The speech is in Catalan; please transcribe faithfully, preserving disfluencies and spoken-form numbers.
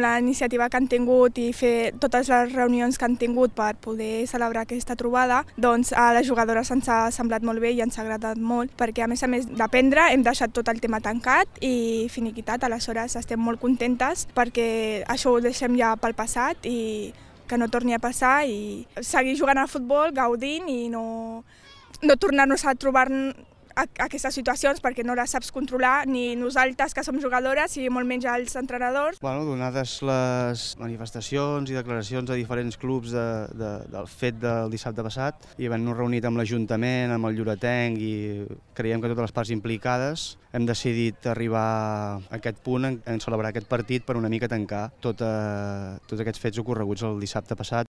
La iniciativa que han tingut i fer totes les reunions que han tingut per poder celebrar aquesta trobada, doncs a les jugadores ens ha semblat molt bé i ens ha agradat molt, perquè a més a més d'aprendre hem deixat tot el tema tancat i finiquitat, aleshores estem molt contentes perquè això ho deixem ja pel passat i que no torni a passar i seguir jugant al futbol, gaudint i no, no tornar-nos a trobar aquestes situacions perquè no les saps controlar ni nosaltres que som jugadores i molt menys els entrenadors. Bueno, donades les manifestacions i declaracions de diferents clubs de, de, del fet del dissabte passat i havent-nos reunit amb l'Ajuntament, amb el Lloretenc i creiem que totes les parts implicades hem decidit arribar a aquest punt en, en celebrar aquest partit per una mica tancar tot, eh, tots aquests fets ocorreguts el dissabte passat.